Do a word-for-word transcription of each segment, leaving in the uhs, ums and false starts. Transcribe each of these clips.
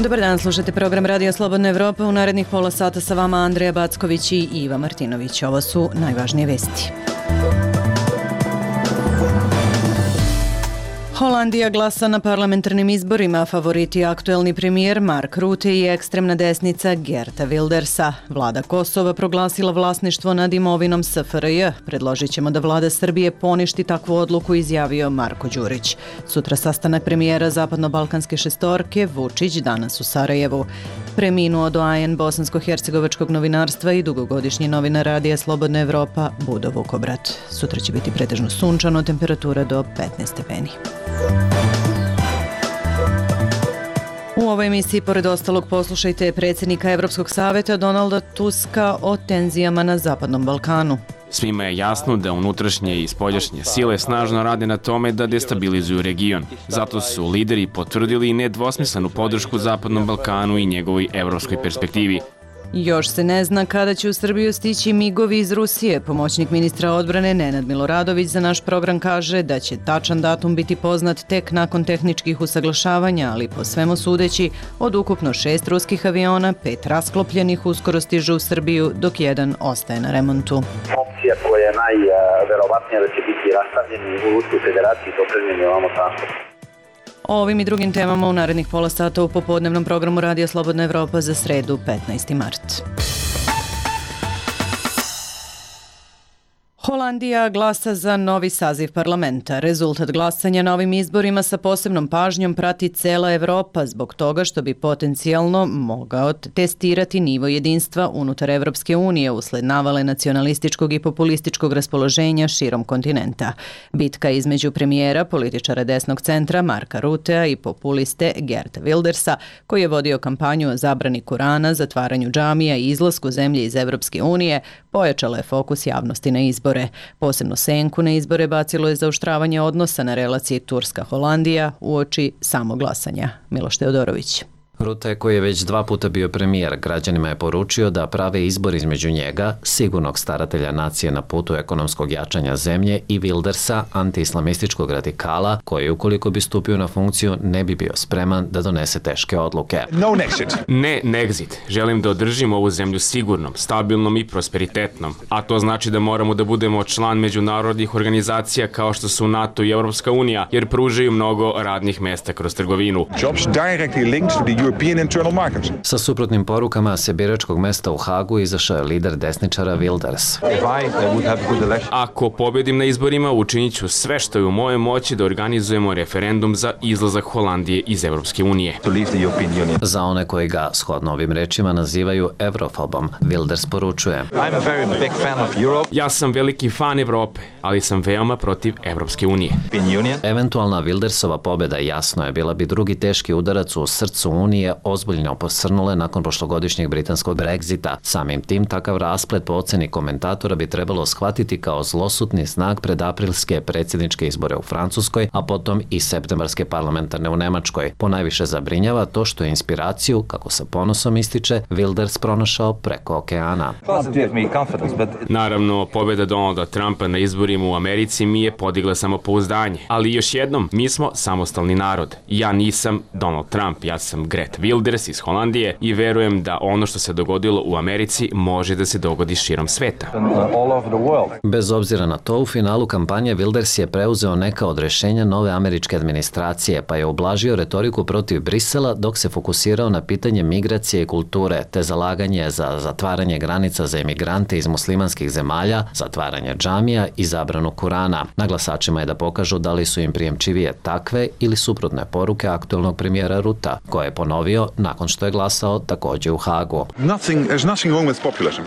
Dobar dan, slušate program Radio Slobodna Evropa. U narednih pola sata sa vama Andreja Backović i Iva Martinović. Ovo su najvažnije vesti. Holandija glasa na parlamentarnim izborima, favoriti aktuelni premijer Mark Rutte i ekstremna desnica Geerta Wildersa. Vlada Kosova proglasila vlasništvo nad imovinom S F R J. Predložit ćemo da vlada Srbije poništi takvu odluku, izjavio Marko Đurić. Sutra sastanak premijera Zapadno-Balkanske šestorke, Vučić danas u Sarajevu. Preminuo doajen bosansko-hercegovačkog novinarstva i dugogodišnji novinar Radija Slobodna Evropa Budo Vukobrat. Sutra će biti pretežno sunčano, temperatura do petnaest stepeni. U ovoj emisiji, pored ostalog, poslušajte predsjednika Evropskog savjeta Donalda Tuska o tenzijama na Zapadnom Balkanu. Svima je jasno da unutrašnje i spoljašnje sile snažno rade na tome da destabilizuju region. Zato su lideri potvrdili nedvosmislenu podršku Zapadnom Balkanu i njegovoj evropskoj perspektivi. Još se ne zna kada će u Srbiju stići migovi iz Rusije. Pomoćnik ministra odbrane Nenad Miloradović za naš program kaže da će tačan datum biti poznat tek nakon tehničkih usaglašavanja, ali po svemu sudeći od ukupno šest ruskih aviona, pet rasklopljenih uskoro stižu u Srbiju, dok jedan ostaje na remontu. Opcija koja je najverovatnija da će biti rastavljeni u Ruskoj federaciji dopremljeni ovamo transport. O ovim i drugim temama u narednih pola sata u popodnevnom programu Radija Slobodna Evropa za sredu petnaesti mart. Holandija glasa za novi saziv parlamenta. Rezultat glasanja na ovim izborima sa posebnom pažnjom prati cela Evropa zbog toga što bi potencijalno mogao testirati nivo jedinstva unutar Evropske unije usled navale nacionalističkog i populističkog raspoloženja širom kontinenta. Bitka između premijera, političara desnog centra Marka Ruttea i populiste Geerta Wildersa, koji je vodio kampanju o zabrani Kurana, zatvaranju džamija i izlasku zemlje iz Evropske unije, pojačala je fokus javnosti na izbore. Posebno senku na izbore bacilo je zaoštravanje odnosa na relaciji Turska-Holandija uoči samog glasanja. Miloš Teodorović. Rutte, koji je već dva puta bio premijer, građanima je poručio da prave izbor između njega, sigurnog staratelja nacije na putu ekonomskog jačanja zemlje, i Wildersa, anti-islamističkog radikala, koji ukoliko bi stupio na funkciju ne bi bio spreman da donese teške odluke. No Nexit. Ne Nexit. Želim da održim ovu zemlju sigurnom, stabilnom i prosperitetnom. A to znači da moramo da budemo član međunarodnih organizacija kao što su NATO i Evropska unija, jer pružaju mnogo radnih mesta kroz trgovinu. Jobs directly linked to the Sa suprotnim porukama se biračkog mesta u Hagu izašao je lider desničara Wilders. Ako pobedim na izborima, učinit ću sve što je u mojoj moći da organizujemo referendum za izlazak Holandije iz Evropske unije. Za one koji ga, shodno ovim rečima, nazivaju evrofobom, Wilders poručuje: Ja sam veliki fan Evrope, ali sam veoma protiv Evropske unije. Eventualna Wildersova pobjeda, jasno je, bila bi drugi teški udarac u srcu Unije, ozbiljno posrnule nakon prošlogodišnjeg britanskog Brexita. Samim tim, takav rasplet po oceni komentatora bi trebalo shvatiti kao zlosutni znak pred aprilske predsjedničke izbore u Francuskoj, a potom i septembarske parlamentarne u Nemačkoj. Ponajviše zabrinjava to što je inspiraciju, kako sa ponosom ističe, Wilders pronašao preko okeana. Naravno, pobjeda Donalda Trumpa na izborima u Americi mi je podigla samopouzdanje. Ali još jednom, mi smo samostalni narod. Ja nisam Donald Trump, ja sam Geert Wilders iz Holandije i verujem da ono što se dogodilo u Americi može da se dogodi širom sveta. Bez obzira na to, u finalu kampanje Wilders je preuzeo neka od rješenja nove američke administracije, pa je ublažio retoriku protiv Brisela dok se fokusirao na pitanje migracije i kulture, te zalaganje za zatvaranje granica za emigrante iz muslimanskih zemalja, zatvaranje džamija i zabranu Kurana. Na glasačima je da pokažu da li su im prijemčivije takve ili suprotne poruke aktuelnog premijera Ruttea, koje je ponovio nakon što je glasao također u Hagu.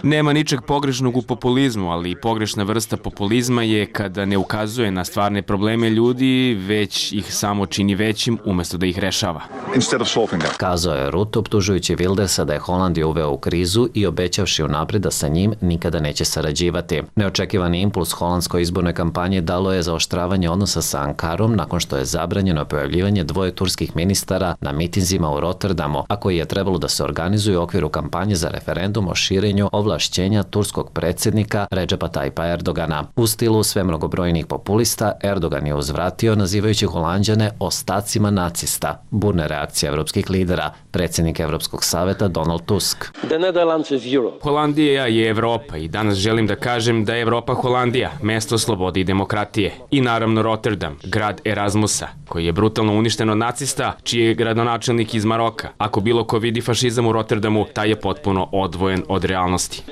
Nema ničeg pogrešnog u populizmu, ali pogrešna vrsta populizma je kada ne ukazuje na stvarne probleme ljudi, već ih samo čini većim umjesto da ih rešava. Kazao je Rutte, optužujući Wildersa da je Holandiju uveo u krizu i obećavši unaprijed da sa njim nikada neće sarađivati. Neočekivani impuls holandskoj izbornoj kampanji dalo je zaoštravanje odnosa sa Ankarom nakon što je zabranjeno pojavljivanje dvoje turskih ministara na mitinzima u Rotterdamu, a koji je trebalo da se organizuje u okviru kampanje za referendum o širenju ovlašćenja turskog predsjednika Redžepa Tajpa Erdogana. U stilu sve mnogobrojnih populista, Erdogan je uzvratio nazivajući Holanđane ostacima nacista. Burne reakcije evropskih lidera, predsjednik Evropskog saveta Donald Tusk. Holandija je Evropa i danas želim da kažem da je Evropa Holandija, mesto slobode i demokratije. I naravno Rotterdam, grad Erasmusa, koji je brutalno uništen od nacista, čiji je gradonačelnik iz Maroka. Ako bilo ko vidi fašizam u Rotterdamu, taj je potpuno odvojen od realnosti.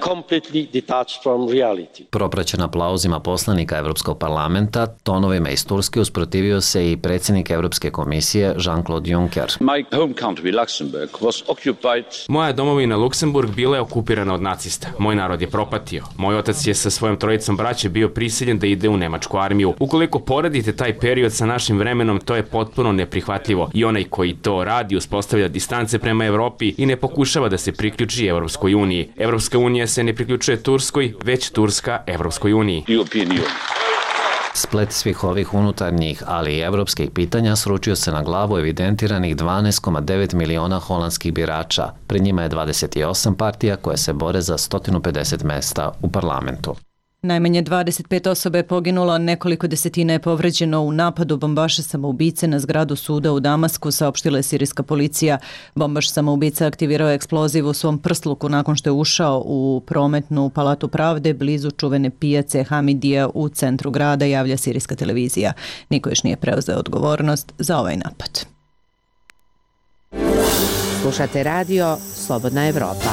Propraćen aplauzima poslanika Evropskog parlamenta, tonovima iz Turske usprotivio se i predsjednik Evropske komisije Jean-Claude Juncker. Moja domovina Luksemburg bila je okupirana od nacista. Moj narod je propatio. Moj otac je sa svojom trojicom braće bio prisiljen da ide u nemačku armiju. Ukoliko poredite taj period sa našim vremenom, to je potpuno neprihvatljivo. I onaj koji to radi uspostavlja distance prema Evropi i ne pokušava da se priključi Evropskoj uniji. Evropska unija se ne priključuje Turskoj, već Turska Evropskoj uniji. Splet svih ovih unutarnjih, ali i evropskih pitanja sručio se na glavu evidentiranih dvanaest zarez devet miliona holandskih birača. Pred njima je dvadeset osam partija koje se bore za sto pedeset mesta u parlamentu. Najmanje dvadeset pet osoba je poginulo, nekoliko desetina je povređeno u napadu bombaša samoubice na zgradu suda u Damasku, saopštila je sirijska policija. Bombaš samoubica aktivirao je eksploziv u svom prsluku nakon što je ušao u prometnu palatu pravde blizu čuvene pijace Hamidija u centru grada, javlja sirijska televizija. Niko još nije preuzeo odgovornost za ovaj napad. Slušate radio Slobodna Evropa.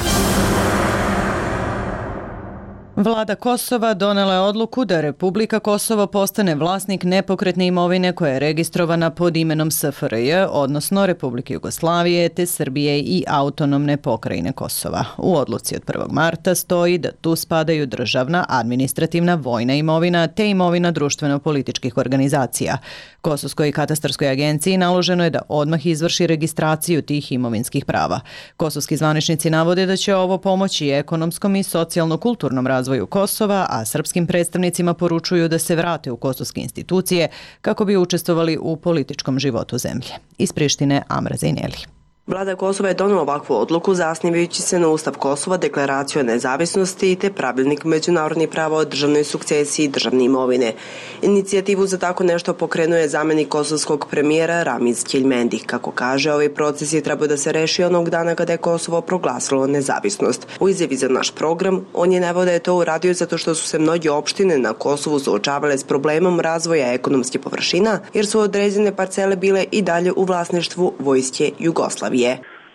Vlada Kosova donela je odluku da Republika Kosovo postane vlasnik nepokretne imovine koja je registrovana pod imenom S F R J, odnosno Republike Jugoslavije, te Srbije i autonomne pokrajine Kosova. U odluci od prvog marta stoji da tu spadaju državna, administrativna, vojna imovina te imovina društveno-političkih organizacija. Kosovskoj katastarskoj agenciji naloženo je da odmah izvrši registraciju tih imovinskih prava. Kosovski zvaničnici navode da će ovo pomoći ekonomskom i socijalno-kulturnom razvoju Kosova, a srpskim predstavnicima poručuju da se vrate u kosovske institucije kako bi učestvovali u političkom životu zemlje. Iz Prištine, Amra Zejneli. Vlada Kosova je donela ovakvu odluku zasnivajući se na Ustav Kosova, deklaraciju o nezavisnosti te pravilnik međunarodnih prava o državnoj sukcesiji i državne imovine. Inicijativu za tako nešto pokrenuo je zamjenik kosovskog premijera Ramiz Keljmendi. Kako kaže, ovaj proces je trebao da se reši onog dana kada je Kosovo proglasilo nezavisnost. U izjavi za naš program, on je naveo da je to uradio zato što su se mnoge opštine na Kosovu suočavale s problemom razvoja ekonomske površina, jer su određene parcele bile i dalje u vlasništvu Vojske Jugoslavije.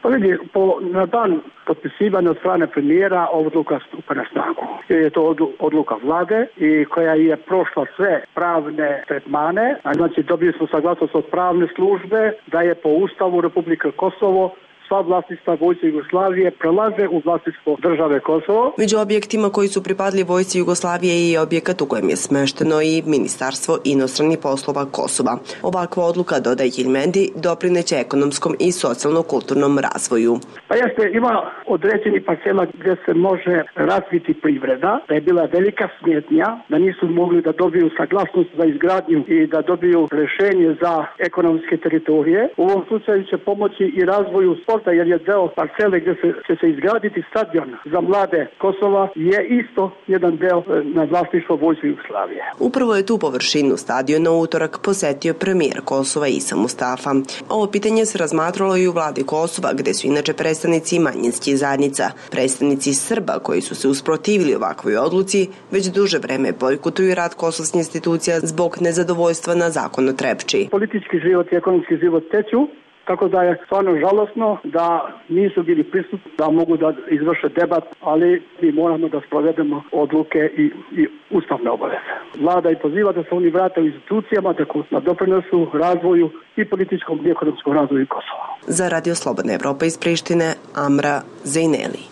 Pa vidi, po, na dan potpisivanja od strane premijera odluka stupa na snagu. Je to odluka vlade i koja je prošla sve pravne tretmane, znači dobili smo saglasnost od pravne službe da je po Ustavu Republike Kosovo sva vlasništva Vojske Jugoslavije prelaze u vlasništvo države Kosovo. Među objektima koji su pripadli Vojsci Jugoslavije je objekat u kojem je smešteno i Ministarstvo inostranih poslova Kosova. Ovakva odluka, dodaje Keljmendi, doprineće ekonomskom i socijalno-kulturnom razvoju. Pa jeste, ima određeni parcela gdje se može razviti privreda, da je bila velika smetnja, da nisu mogli da dobiju saglasnost za izgradnju i da dobiju rješenje za ekonomske teritorije. U ovom slučaju će pomoći i razvoju sporta, jer je deo parcele gdje se, će se izgraditi stadion za mlade Kosova je isto jedan deo na vlasništvo Vojske Jugoslavije. Upravo je tu površinu stadiona u utorak posetio premijer Kosova Isa Mustafa. Ovo pitanje se razmatralo i u vladi Kosova, gde su inače predstavnici manjinskih zajednica. Predstavnici Srba koji su se usprotivili ovakvoj odluci već duže vreme bojkotuju rad kosovskih institucija zbog nezadovoljstva na zakon o Trepči. Politički život i ekonomski život teću, tako da je stvarno žalosno da nisu bili prisutni, da mogu da izvrše debat, ali mi moramo da sprovedemo odluke i, i ustavne obaveze. Vlada i poziva da se oni vrate u institucijama, da doprinosu razvoju i političkom i ekonomskom razvoju Kosova. Za Radio Slobodna Evropa iz Prištine, Amra Zejneli.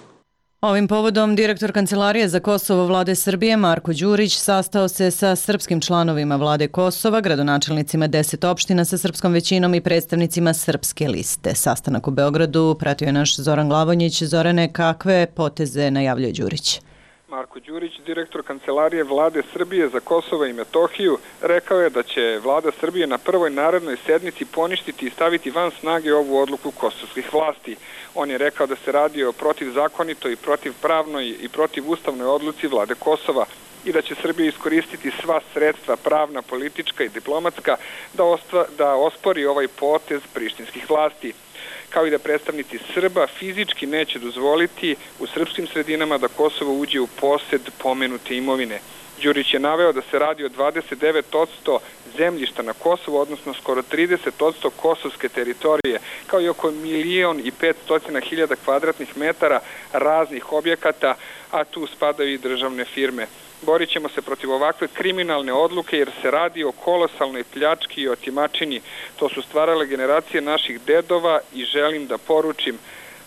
Ovim povodom direktor Kancelarije za Kosovo vlade Srbije Marko Đurić sastao se sa srpskim članovima vlade Kosova, gradonačelnicima deset opština sa srpskom većinom i predstavnicima srpske liste. Sastanak u Beogradu pratio je naš Zoran Glavonjić. Zorane, kakve poteze najavljuje Đurić? Marko Đurić, direktor Kancelarije Vlade Srbije za Kosovo i Metohiju, rekao je da će Vlada Srbije na prvoj narednoj sednici poništiti i staviti van snage ovu odluku kosovskih vlasti. On je rekao da se radi o protivzakonitoj, protivpravnoj i protivustavnoj odluci Vlade Kosova i da će Srbija iskoristiti sva sredstva pravna, politička i diplomatska da, ostva, da ospori ovaj potez prištinskih vlasti, kao i da predstavnici Srba fizički neće dozvoliti u srpskim sredinama da Kosovo uđe u posed pomenute imovine. Đurić je naveo da se radi o dvadeset devet posto zemljišta na Kosovu, odnosno skoro trideset posto kosovske teritorije, kao i oko milion i petstotina hiljada kvadratnih metara raznih objekata, a tu spadaju i državne firme. Borit ćemo se protiv ovakve kriminalne odluke jer se radi o kolosalnoj pljački i otimačini. To su stvarale generacije naših dedova i želim da poručim: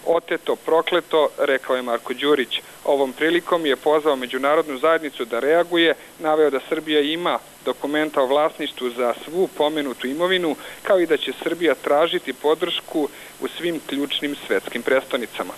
oteto, prokleto, rekao je Marko Đurić. Ovom prilikom je pozvao međunarodnu zajednicu da reaguje, naveo da Srbija ima dokumenta o vlasništvu za svu pomenutu imovinu, kao i da će Srbija tražiti podršku u svim ključnim svetskim prestonicama.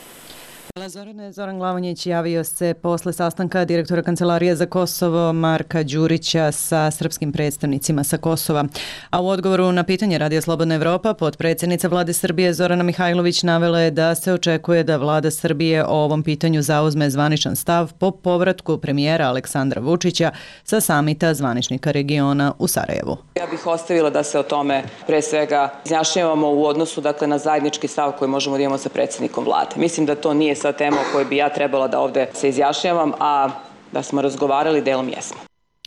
Zorane, Zoran Glavonjić javio se posle sastanka direktora Kancelarije za Kosovo Marka Đurića sa srpskim predstavnicima sa Kosova. A u odgovoru na pitanje Radija Slobodna Evropa, potpredsjednica Vlade Srbije Zorana Mihajlović navela je da se očekuje da Vlada Srbije o ovom pitanju zauzme zvaničan stav po povratku premijera Aleksandra Vučića sa samita zvaničnika regiona u Sarajevu. Ja bih ostavila da se o tome pre svega izjašnjavamo u odnosu dakle, na zajednički stav koji možemo da imamo sa predsjednikom Vlade. Mislim da to nije sa tema o kojoj bi ja trebala da ovde se izjašnjavam, a da smo razgovarali delom jesmo.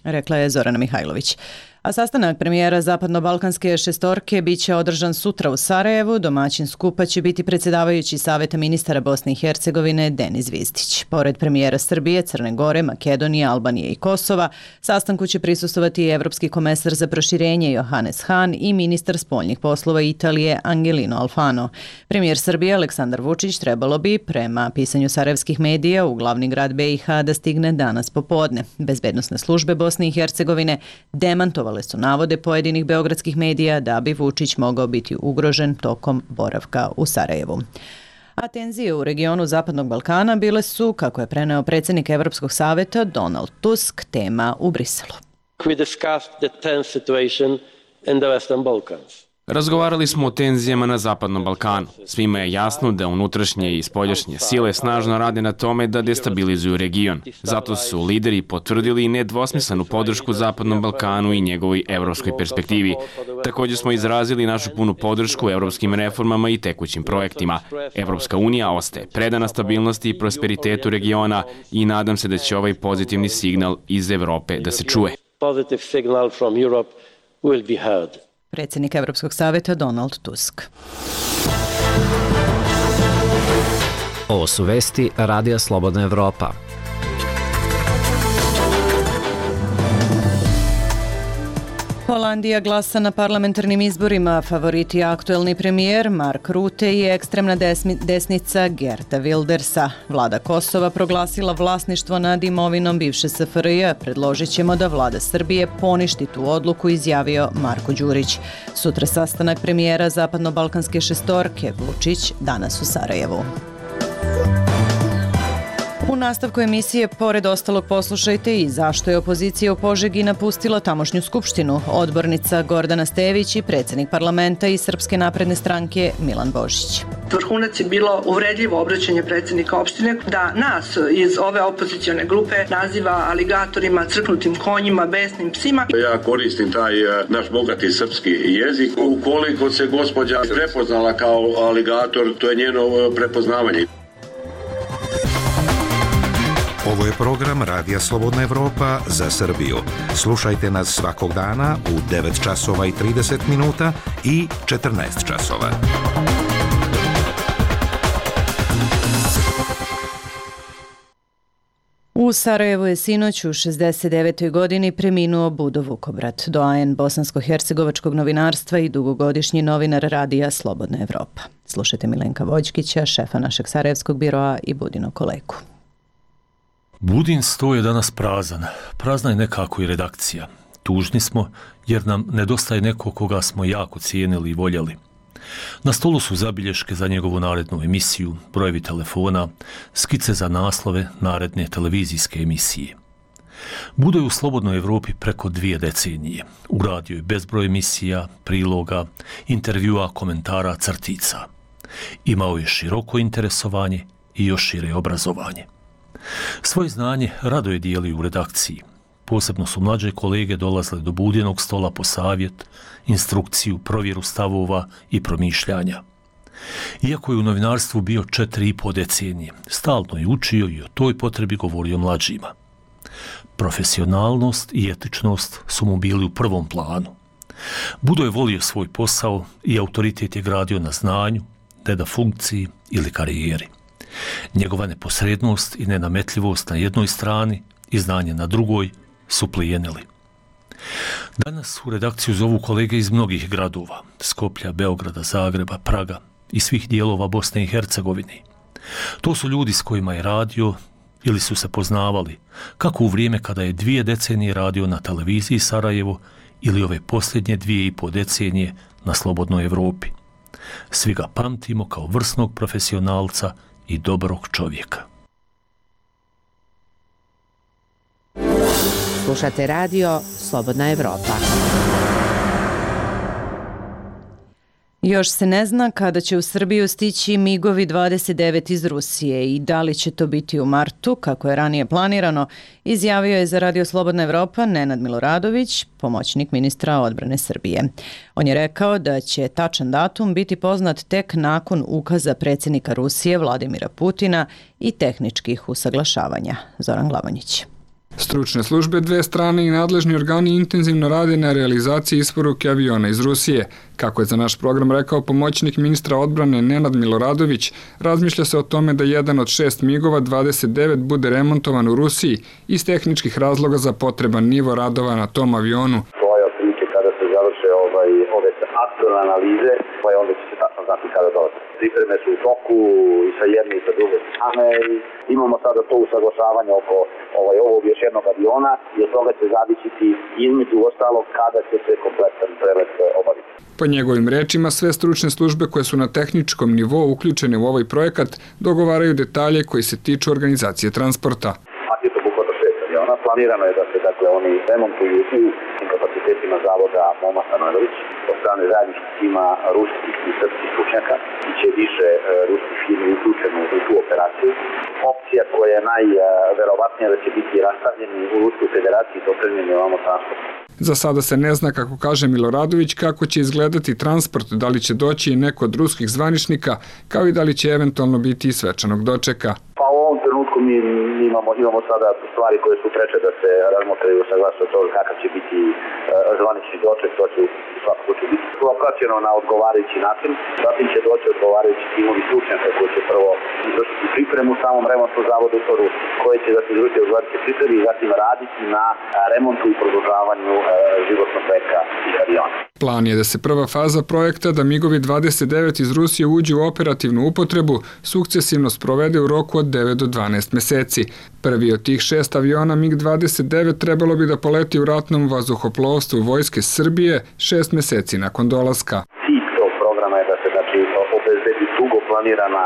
Rekla je Zorana Mihajlović. A sastanak premijera Zapadno-Balkanske šestorke biće održan sutra u Sarajevu. Domaćin skupa će biti predsjedavajući Saveta ministara Bosne i Hercegovine Denis Vizdić. Pored premijera Srbije, Crne Gore, Makedonije, Albanije i Kosova, sastanku će prisustvovati i evropski komesar za proširenje Johannes Hahn i ministar spoljnih poslova Italije Angelino Alfano. Premijer Srbije Aleksandar Vučić trebalo bi, prema pisanju sarajevskih medija, u glavni grad B i H da stigne danas popodne. Bezbednosne službe Bosne i Hercegovine demantovale su navode pojedinih beogradskih medija da bi Vučić mogao biti ugrožen tokom boravka u Sarajevu. A tenzije u regionu Zapadnog Balkana bile su, kako je preneo predsjednik Evropskog saveta Donald Tusk, tema u Briselu. We discussed the tense situation in the Western Balkans. Razgovarali smo o tenzijama na Zapadnom Balkanu. Svima je jasno da unutrašnje i spoljašnje sile snažno rade na tome da destabilizuju region. Zato su lideri potvrdili nedvosmislenu podršku Zapadnom Balkanu i njegovoj evropskoj perspektivi. Također smo izrazili našu punu podršku evropskim reformama i tekućim projektima. Evropska unija ostaje predana stabilnosti i prosperitetu regiona i nadam se da će ovaj pozitivni signal iz Evrope da se čuje. Positive signal from Europe will be heard. Predsjednik Evropskog saveta Donald Tusk. Ovo su vesti Radija Slobodna Evropa. Holandija glasa na parlamentarnim izborima. Favoriti aktuelni premijer Mark Rutte i ekstremna desnica Geerta Wildersa. Vlada Kosova proglasila vlasništvo nad imovinom bivše S F R J. Predložit ćemo da vlada Srbije poništi tu odluku, izjavio Marko Đurić. Sutra sastanak premijera Zapadno-Balkanske šestorke, Vučić danas u Sarajevu. U nastavku emisije, pored ostalog, poslušajte i zašto je opozicija u Požegi napustila tamošnju skupštinu. Odbornica Gordana Stević i predsjednik parlamenta iz Srpske napredne stranke Milan Božić. Vrhunac je bilo uvredljivo obraćanje predsjednika opštine da nas iz ove opozicione grupe naziva aligatorima, crknutim konjima, besnim psima. Ja koristim taj naš bogati srpski jezik. Ukoliko se gospođa prepoznala kao aligator, to je njeno prepoznavanje. Ovo je program Radija Slobodna Evropa za Srbiju. Slušajte nas svakog dana u devet časova i trideset minuta i četrnaest časova. U Sarajevu je sinoć u šezdeset devetoj godini preminuo Budo Vukobrat, doajen bosansko-hercegovačkog novinarstva i dugogodišnji novinar Radija Slobodna Evropa. Slušajte Milenka Vođkića, šefa našeg sarajevskog biroa, i Budino kolegu. Budin sto je danas prazan. Prazna je nekako i redakcija. Tužni smo jer nam nedostaje neko koga smo jako cijenili i voljeli. Na stolu su zabilješke za njegovu narednu emisiju, brojevi telefona, skice za naslove naredne televizijske emisije. Budo je u Slobodnoj Evropi preko dvije decenije. Uradio je bezbroj emisija, priloga, intervjua, komentara, crtica. Imao je široko interesovanje i još šire obrazovanje. Svoje znanje rado je dijelio u redakciji. Posebno su mlađe kolege dolazile do Budinog stola po savjet, instrukciju, provjeru stavova i promišljanja. Iako je u novinarstvu bio četiri i po decenije, stalno je učio i o toj potrebi govorio mlađima. Profesionalnost i etičnost su mu bili u prvom planu. Budo je volio svoj posao i autoritet je gradio na znanju, ne na funkciji ili karijeri. Njegova neposrednost i nenametljivost na jednoj strani i znanje na drugoj su plijenili. Danas u redakciju zovu kolege iz mnogih gradova, Skoplja, Beograda, Zagreba, Praga i svih dijelova Bosne i Hercegovine. To su ljudi s kojima je radio ili su se poznavali, kako u vrijeme kada je dvije decenije radio na televiziji Sarajevo ili ove posljednje dvije i po decenije na Slobodnoj Evropi. Svi ga pamtimo kao vrsnog profesionalca i dobrog čovjeka. Slušate radio Slobodna Evropa. Još se ne zna kada će u Srbiju stići migovi dvadeset devet iz Rusije i da li će to biti u martu, kako je ranije planirano, izjavio je za Radio Slobodna Evropa Nenad Miloradović, pomoćnik ministra odbrane Srbije. On je rekao da će tačan datum biti poznat tek nakon ukaza predsjednika Rusije Vladimira Putina i tehničkih usaglašavanja. Zoran Glavonjić. Stručne službe dve strane i nadležni organi intenzivno rade na realizaciji isporuke aviona iz Rusije. Kako je za naš program rekao pomoćnik ministra odbrane Nenad Miloradović, razmišlja se o tome da jedan od šest migova dvadeset devet bude remontovan u Rusiji iz tehničkih razloga za potreban nivo radova na tom avionu. To je otprilike kada se završe ovaj, ove aktualne analize, pa onda će se tačno znati kada dolaze. Pripreme su u toku i sa jedne i sa druge strane i imamo sada to usaglašavanje oko ovaj, ovog još jednog aviona i od toga će zavisiti između ostalog kada će se kompletan prelet obaviti. Po njegovim rečima, sve stručne službe koje su na tehničkom nivou uključene u ovaj projekat dogovaraju detalje koji se tiču organizacije transporta. Paket obuhvata šest aviona. Planirano je da se dakle, oni remontuju u kapacitetima zavoda Moma Stanojević od strane zajedničkog tima ruskih i srpskih stručnjaka i će više e, ruskih firmi uključeno u tu operaciju. Opcija koja je najverovatnija da će biti rastavljeni u Ruskoj federaciji do opremljeni ovamo transporta. Za sada se ne zna, kako kaže Miloradović, kako će izgledati transport, da li će doći i neko od ruskih zvaničnika, kao i da li će eventualno biti i svečanog dočeka. Pa u ovom trenutku mi imamo, imamo sada stvari koje su preče da se razmotraju sa glasa od toga kakav će biti uh, zvanični doček, to će svakako će biti propraćeno na odgovarajući način, zatim će doći odgovarajući timovi stručnjaka koji će prvo izvršiti pripremu u samom remontu zavoda u Toru, koji će da se izvršiti odgovarajuće pripremi i zatim raditi na remontu i produžavanju uh, životnog veka i aviona. Plan je da se prva faza projekta da migovi dvadeset devet iz Rusije uđu u operativnu upotrebu sukcesivno sprovede u roku od devet do dvanaest meseci. Prvi od tih šest aviona mig dvadeset devet trebalo bi da poleti u ratnom vazduhoplovstvu Vojske Srbije šest meseci nakon dolaska. Cilj tog programa je da se znači, obezbedi dugo planirana,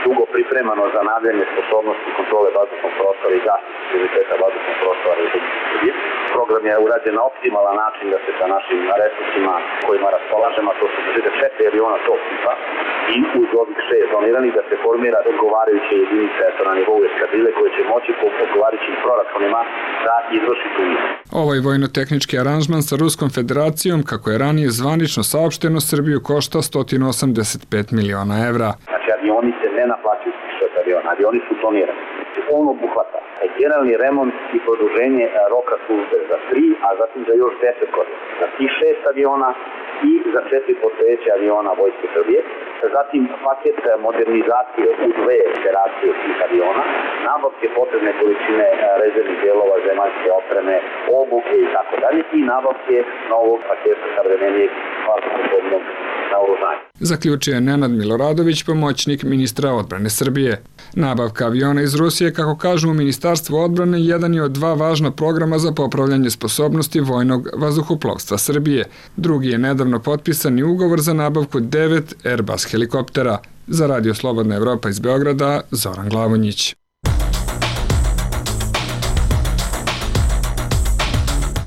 dugo pripremano za nadljene sposobnosti kontrole vazdušnog prostora i zaštite prioriteta vazdušnog prostora Republike Srbije. Program je urađen na optimalan način da se sa našim resursima kojima raspolažemo, to su četiri aviona tog tipa i uz ovih šest doniranih da se formira odgovarajuće jedinice na nivou eskadrile koje će moći po odgovarajućim proračunima da izvrši tu misiju. Ovaj vojno-tehnički aranžman sa Ruskom federacijom, kako je ranije zvanično saopšteno, Srbiju košta sto osamdeset pet miliona evra. Znači avioni se ne naplaćuju šest aviona, avioni su donirani. On obuhvata generalni remont i produženje roka službe za tri, a zatim za još deset godina. Za tih šest aviona i za četiri postojeće aviona Vojske Srbije, zatim paket modernizacije u dve generacije tih aviona, nabavke potrebne količine rezervnih dijelova, zemaljske opreme, obuke i tako dalje i nabavke novog paketa savremenijeg vazduhoplovnog naoružanja. Zaključio je Nenad Miloradović, pomoćnik ministra odbrane Srbije. Nabavka aviona iz Rusije, kako kažu u Ministarstvu odbrane, jedan je od dva važna programa za popravljanje sposobnosti vojnog vazduhoplovstva Srbije. Drugi je nedavno potpisani ugovor za nabavku devet Airbus helikoptera. Za Radio Slobodna Evropa iz Beograda, Zoran Glavonjić.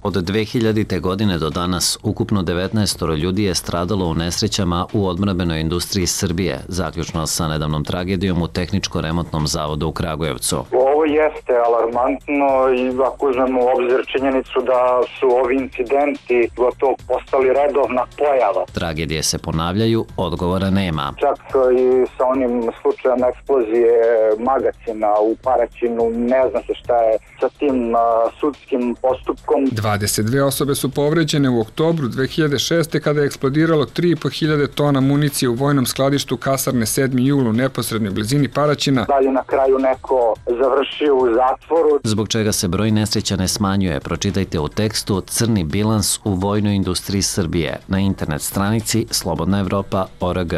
Od dve hiljadite. godine do danas ukupno devetnaest ljudi je stradalo u nesrećama u odbrambenoj industriji Srbije, zaključno sa nedavnom tragedijom u Tehničko-remontnom zavodu u Kragujevcu. Ovo jeste alarmantno i ako uzmemo u obzir činjenicu da su ovi incidenti gotovo postali redovna pojava. Tragedije se ponavljaju, odgovora nema. Čak i sa onim slučajem eksplozije magacina u Paraćinu, ne zna se šta je sa tim uh, sudskim postupkom. dvadeset dve osobe su povređene u oktobru dve hiljade šeste. kada je eksplodiralo tri i po hiljade tona municije u vojnom skladištu kasarne sedmi jul u neposrednoj blizini Paraćina. Da je na kraju neko završio u zatvoru. Zbog čega se broj nesreća ne smanjuje, pročitajte u tekstu Crni bilans u vojnoj industriji Srbije na internet stranici slobodna evropa tačka org.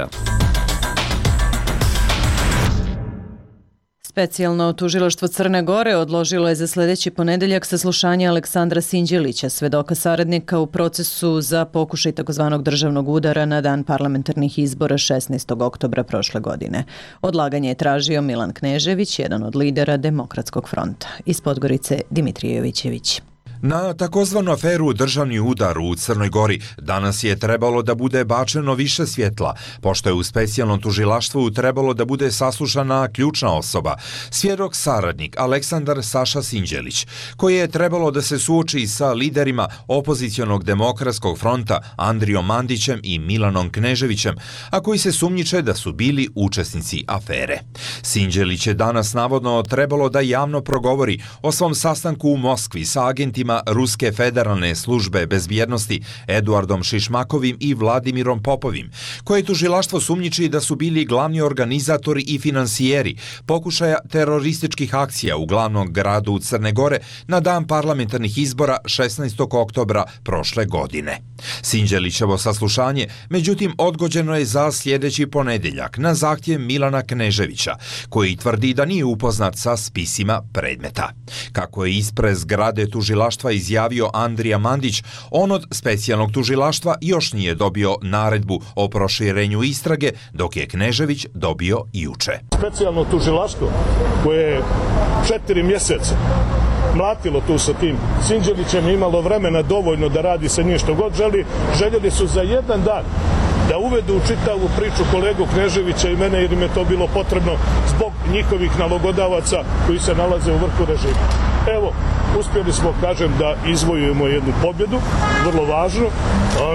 Specijalno tužilaštvo Crne Gore odložilo je za sljedeći ponedeljak saslušanje Aleksandra Sinđelića, svedoka saradnika u procesu za pokušaj takozvanog državnog udara na dan parlamentarnih izbora šesnaestog oktobra prošle godine. Odlaganje je tražio Milan Knežević, jedan od lidera Demokratskog fronta. Iz Podgorice Dimitrije Jovićević. Na takozvanu aferu državni udar u Crnoj Gori danas je trebalo da bude bačeno više svjetla, pošto je u specijalnom tužilaštvu trebalo da bude saslušana ključna osoba, svjedok saradnik Aleksandar Saša Sinđelić, koji je trebalo da se suoči sa liderima opozicionog Demokratskog fronta Andrijom Mandićem i Milanom Kneževićem, a koji se sumnjiče da su bili učesnici afere. Sinđelić je danas navodno trebalo da javno progovori o svom sastanku u Moskvi sa agentima Ruske federalne službe bezbjednosti Eduardom Šišmakovim i Vladimirom Popovim, koje tužilaštvo sumnjiči da su bili glavni organizatori i finansijeri pokušaja terorističkih akcija u glavnom gradu Crne Gore na dan parlamentarnih izbora šesnaestog oktobra prošle godine. Sinđelićevo saslušanje, međutim, odgođeno je za sljedeći ponedeljak na zahtjev Milana Kneževića, koji tvrdi da nije upoznat sa spisima predmeta. Kako je ispred zgrade tužilaštva izjavio Andrija Mandić, on od specijalnog tužilaštva još nije dobio naredbu o proširenju istrage, dok je Knežević dobio juče. Specijalno tužilaštvo koje je četiri mjeseca mlatilo tu sa tim Sinđelićem, imalo vremena dovoljno da radi sa njim što god želi, željeli su za jedan dan da uvedu u čitavu priču kolegu Kneževića i mene, jer im je to bilo potrebno zbog njihovih nalogodavaca koji se nalaze u vrhu režima. Evo, uspjeli smo, kažem, da izvojujemo jednu pobjedu, vrlo važnu.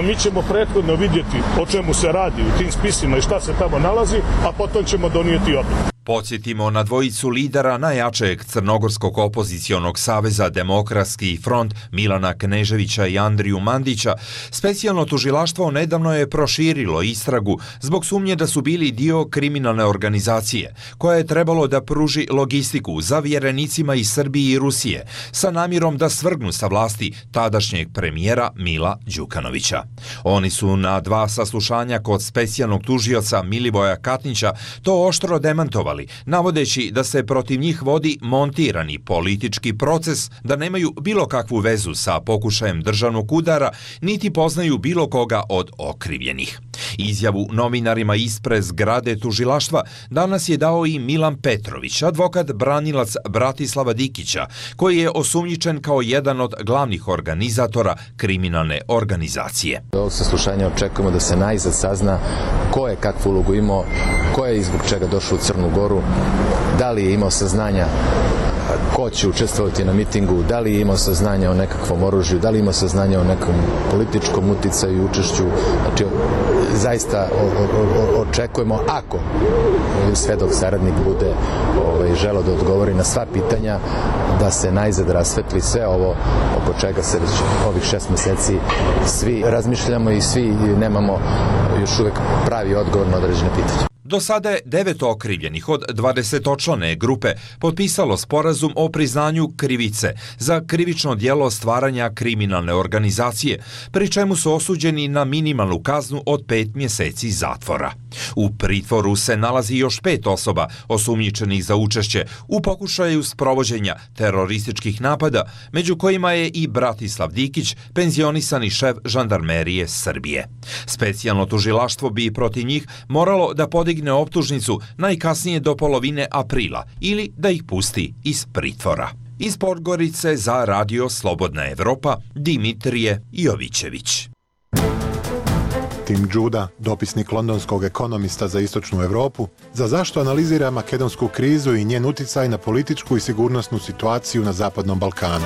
Mi ćemo prethodno vidjeti o čemu se radi u tim spisima i šta se tamo nalazi, a potom ćemo donijeti odluku. Podsjetimo na dvojicu lidera najjačeg Crnogorskog opozicionog saveza Demokratski front Milana Kneževića i Andriju Mandića. Specijalno tužilaštvo nedavno je proširilo istragu zbog sumnje da su bili dio kriminalne organizacije, koja je trebalo da pruži logistiku zavjerenicima iz Srbije i Rusije sa namjerom da svrgnu sa vlasti tadašnjeg premijera Mila Đukanovića. Oni su na dva saslušanja kod specijalnog tužioca Milivoja Katnića to oštro demantovali, navodeći da se protiv njih vodi montirani politički proces, da nemaju bilo kakvu vezu sa pokušajem državnog udara, niti poznaju bilo koga od okrivljenih. Izjavu novinarima ispred zgrade tužilaštva danas je dao i Milan Petrović, advokat branilac Bratislava Dikića, koji je osumnjičen kao jedan od glavnih organizatora kriminalne organizacije. Do ovog saslušanja očekujemo da se najzad sazna ko je kakvu ulogu imao, ko je i zbog čega došao u Crnu Goru, da li je imao saznanja ko će učestvovati na mitingu, da li je imao saznanja o nekakvom oružju, da li ima saznanja o nekom političkom uticaju i učešću. Znači, zaista očekujemo, ako svedok saradnik bude ovaj, želeo da odgovori na sva pitanja, da se najzad rasvetli sve ovo oko čega se već ovih šest meseci svi razmišljamo i svi nemamo još uvek pravi odgovor na određene pitanje. Do sada je devet okrivljenih od dvadesetočlane grupe potpisalo sporazum o priznanju krivice za krivično djelo stvaranja kriminalne organizacije, pri čemu su osuđeni na minimalnu kaznu od pet mjeseci zatvora. U pritvoru se nalazi još pet osoba osumnjičenih za učešće u pokušaju sprovođenja terorističkih napada, među kojima je i Bratislav Dikić, penzionisani šef žandarmerije Srbije. Specijalno tužilaštvo bi protiv njih moralo da podigne optužnicu najkasnije do polovine aprila ili da ih pusti iz pritvora. Iz Podgorice za Radio Slobodna Evropa, Dimitrije Jovićević. Tim Đuda, dopisnik londonskog ekonomista za istočnu Evropu, za zašto analizira makedonsku krizu i njen uticaj na političku i sigurnosnu situaciju na Zapadnom Balkanu.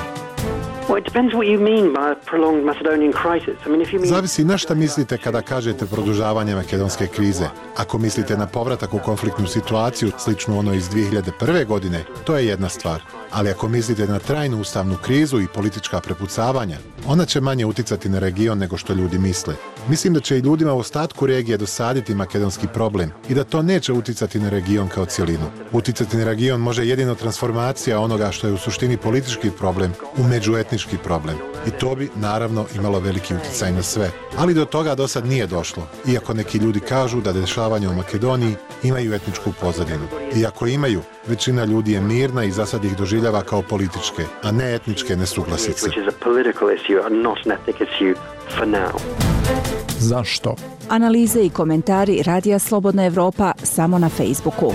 Zavisi na šta mislite kada kažete produžavanje makedonske krize. Ako mislite na povratak u konfliktnu situaciju, sličnu ono iz dvije hiljade prve. godine, to je jedna stvar. Ali ako mislite na trajnu ustavnu krizu i politička prepucavanja, ona će manje uticati na region nego što ljudi misle. Mislim da će i ljudima u ostatku regije dosaditi makedonski problem i da to neće uticati na region kao cjelinu. Uticati na region može jedino transformacija onoga što je u suštini politički problem u međuetnički problem. I to bi, naravno, imalo veliki uticaj na sve. Ali do toga do sad nije došlo, iako neki ljudi kažu da dešavanja u Makedoniji imaju etničku pozadinu. Iako imaju, većina ljudi je mirna i za sad ih doživljava kao političke, a ne etničke nesuglasice. Zašto? Analize i komentari Radija Slobodna Evropa samo na Facebooku.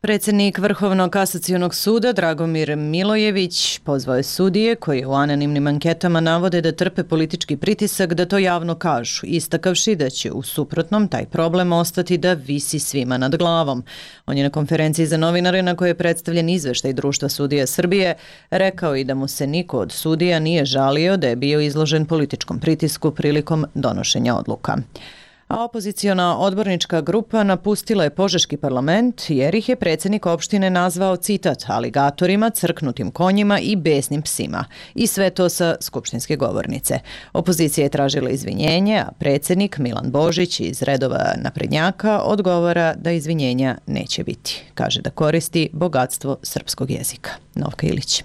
Predsjednik Vrhovnog kasacionog suda Dragomir Milojević pozvao je sudije koji u anonimnim anketama navode da trpe politički pritisak da to javno kažu, istakavši da će u suprotnom taj problem ostati da visi svima nad glavom. On je na konferenciji za novinare na kojoj je predstavljen izveštaj Društva sudija Srbije rekao i da mu se niko od sudija nije žalio da je bio izložen političkom pritisku prilikom donošenja odluka. A opoziciona odbornička grupa napustila je Požeški parlament jer ih je predsjednik opštine nazvao, citat, aligatorima, crknutim konjima i besnim psima. I sve to sa skupštinske govornice. Opozicija je tražila izvinjenje, a predsjednik Milan Božić iz redova naprednjaka odgovara da izvinjenja neće biti. Kaže da koristi bogatstvo srpskog jezika. Novka Ilić.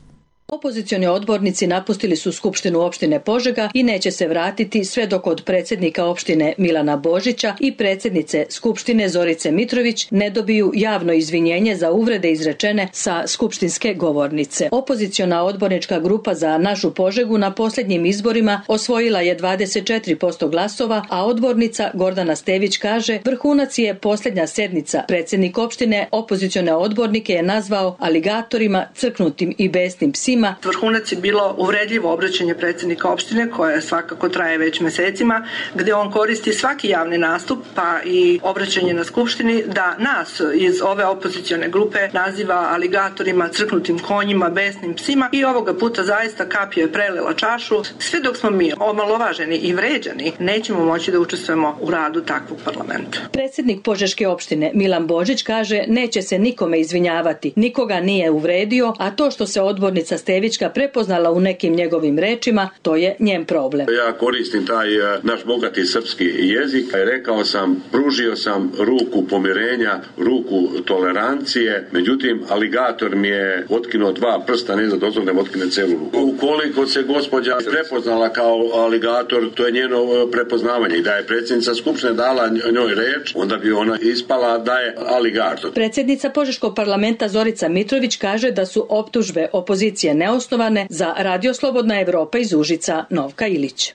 Opozicioni odbornici napustili su Skupštinu opštine Požega i neće se vratiti sve dok od predsjednika opštine Milana Božića i predsjednice Skupštine Zorice Mitrović ne dobiju javno izvinjenje za uvrede izrečene sa skupštinske govornice. Opoziciona odbornička grupa za našu Požegu na posljednjim izborima osvojila je dvadeset četiri posto glasova, a odbornica Gordana Stević kaže vrhunac je posljednja sednica. Predsjednik opštine opozicione odbornike je nazvao aligatorima, crknutim i besnim psima. Vrhunac je bilo uvredljivo obraćanje predsjednika opštine koje svakako traje već mesecima, gdje on koristi svaki javni nastup pa i obraćanje na skupštini da nas iz ove opozicione grupe naziva aligatorima, crknutim konjima, besnim psima i ovoga puta zaista kapija je prelila čašu. Sve dok smo mi omalovaženi i vređani, nećemo moći da učestvujemo u radu takvog parlamenta. Predsjednik Požeške opštine Milan Božić kaže neće se nikome izvinjavati, nikoga nije uvredio, a to što se odbornica Stevićka prepoznala u nekim njegovim rečima, to je njen problem. Ja koristim taj naš bogati srpski jezik. Rekao sam, pružio sam ruku pomirenja, ruku tolerancije, međutim, aligator mi je otkinuo dva prsta, ne za dozvol da mi otkine celu ruku. Ukoliko se gospođa prepoznala kao aligator, to je njeno prepoznavanje. I da je predsjednica Skupštine dala njoj reč, onda bi ona ispala da je aligator. Predsjednica Požeškog parlamenta Zorica Mitrović kaže da su optužbe opozicije neosnovane. Za Radio Slobodna Evropa iz Užica, Novka Ilić.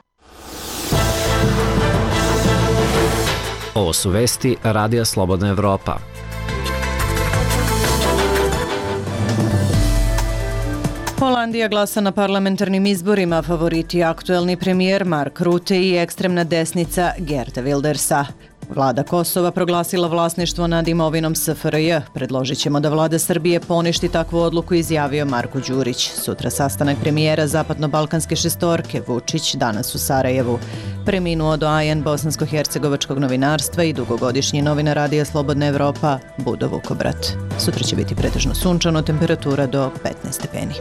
Ovo su vesti Radija Slobodna Evropa. Holandija glasa na parlamentarnim izborima, favoriti aktuelni premijer Mark Rutte i ekstremna desnica Geert Wildersa. Vlada Kosova proglasila vlasništvo nad imovinom S F R J. Predložit ćemo da vlada Srbije poništi takvu odluku, izjavio Marko Đurić. Sutra sastanak premijera Zapadno-Balkanske šestorke, Vučić, danas u Sarajevu. Preminuo doajen bosansko-hercegovačkog novinarstva i dugogodišnji novinar Radija Slobodna Evropa, Budo Vukobrat. Sutra će biti pretežno sunčano, temperatura do petnaest stepeni.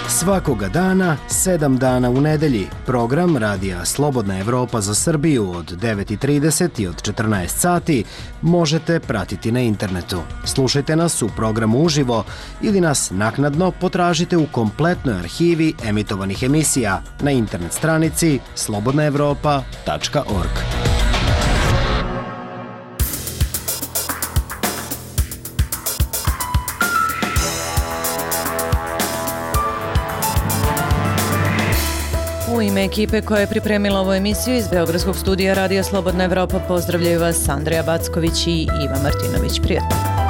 Svakoga dana, sedam dana u nedelji, program Radija Slobodna Evropa za Srbiju od devet i trideset i od četrnaest sati možete pratiti na internetu. Slušajte nas u programu uživo ili nas naknadno potražite u kompletnoj arhivi emitovanih emisija na internet stranici slobodna evropa tačka org. U ime ekipe koja je pripremila ovu emisiju iz Beogradskog studija Radija Slobodna Evropa pozdravljaju vas Andreja Backović i Iva Martinović. Prijatno.